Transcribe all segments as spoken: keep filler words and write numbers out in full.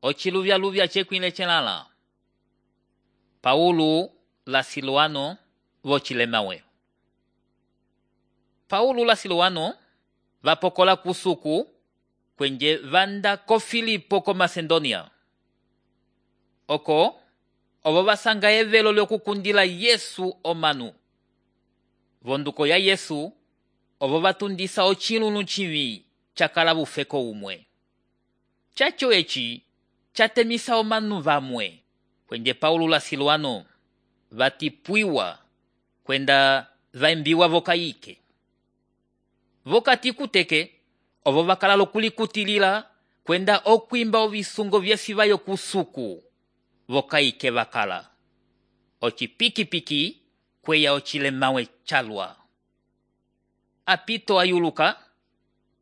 Ochiluvya-luvya chekwile chelala. Paulo la Siluano vochilemawe. Paulo la Siluano vapokola kusuku kwenye vanda ko Filipo ko Macedonia. Oko ovo vasanga evelo lyokukundila Yesu omanu. Vonduko ya Yesu ovo vatundisa ochilunu chivi chakala bufeko umwe. Chacho echi chatemisa omanu vamwe kwenye Paulo la Siluano vatipwiwa kwenda vaimbiwa vokaike. Vokati kuteke ovo vakala lokulikutilila kwenda okwimba ovisungo vyesivayo kusuku vokaike vakala. Ochipiki-piki kweya ochilemawe chalwa. Apito ayuluka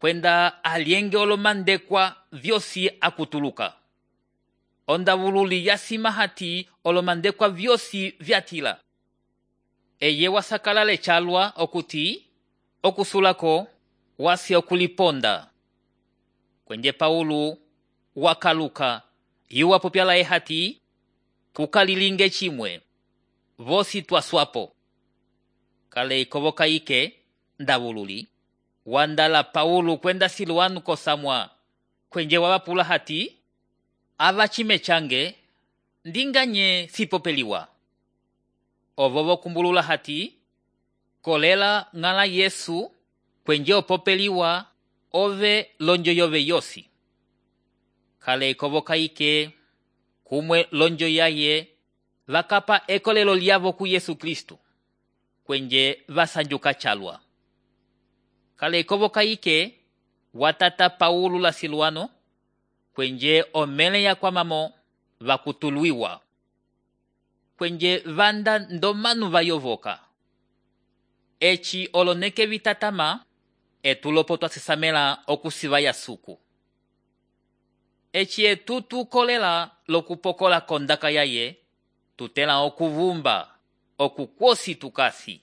kwenda alienge olomandekwa vyosi akutuluka. Onda vululi yasimahati olomandekwa vyosi vyatila. Eye wasakalale chalwa okuti okusulako wasi okuliponda. Kwenye Paulo wakaluka yuwa popyala ehati kukalilinge chimwe vosi twaswapo. Kale ikovoka ike ndavululi wandala Paulo kwenda Siluano kosamwa kwenye wawapula hati ava chime change ndinganye sipopeliwa. Ovovo kumbulula hati kolela ngala Yesu kwenye opopeliwa ove lonjo yove yosi. Kale ikovoka ike kumwe lonjo yaye vakapa ekolelo lyavo ku Yesu Kristu kwenye vasanjuka chalwa. Kale ikovoka ike watata Paulo la Siluano kwenye omele ya kwa mamo vakutuluiwa. Kwenye vanda ndomanu vayovoka. Echi oloneke vitatama etulopo twasisamela okusiva ya suku. Echi etutu kolela lokupokola kondaka yaye tutela okuvumba okukwosi tukasi.